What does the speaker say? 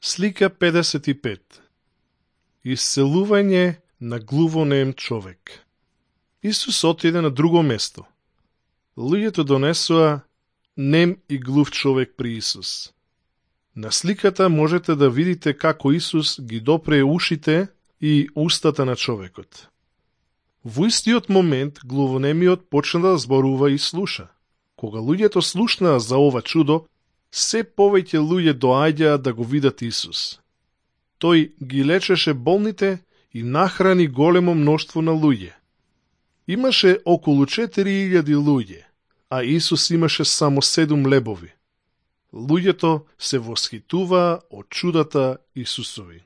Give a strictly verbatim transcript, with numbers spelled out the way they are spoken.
Слика педесет и пет. Исцелување на глувонем човек. Исус отиде на друго место. Луѓето донесоа нем и глув човек при Исус. На сликата можете да видите како Исус ги допре ушите и устата на човекот. Во истиот момент глувонемиот почна да зборува и слуша. Кога луѓето слушнаа за ова чудо, се повеќе луѓе доаѓаа да го видат Исус. Тој ги лечеше болните и нахрани големо мноштво на луѓе. Имаше околу четири илјади луѓе, а Исус имаше само седум лебови. Луѓето се восхитуваа од чудата Исусови.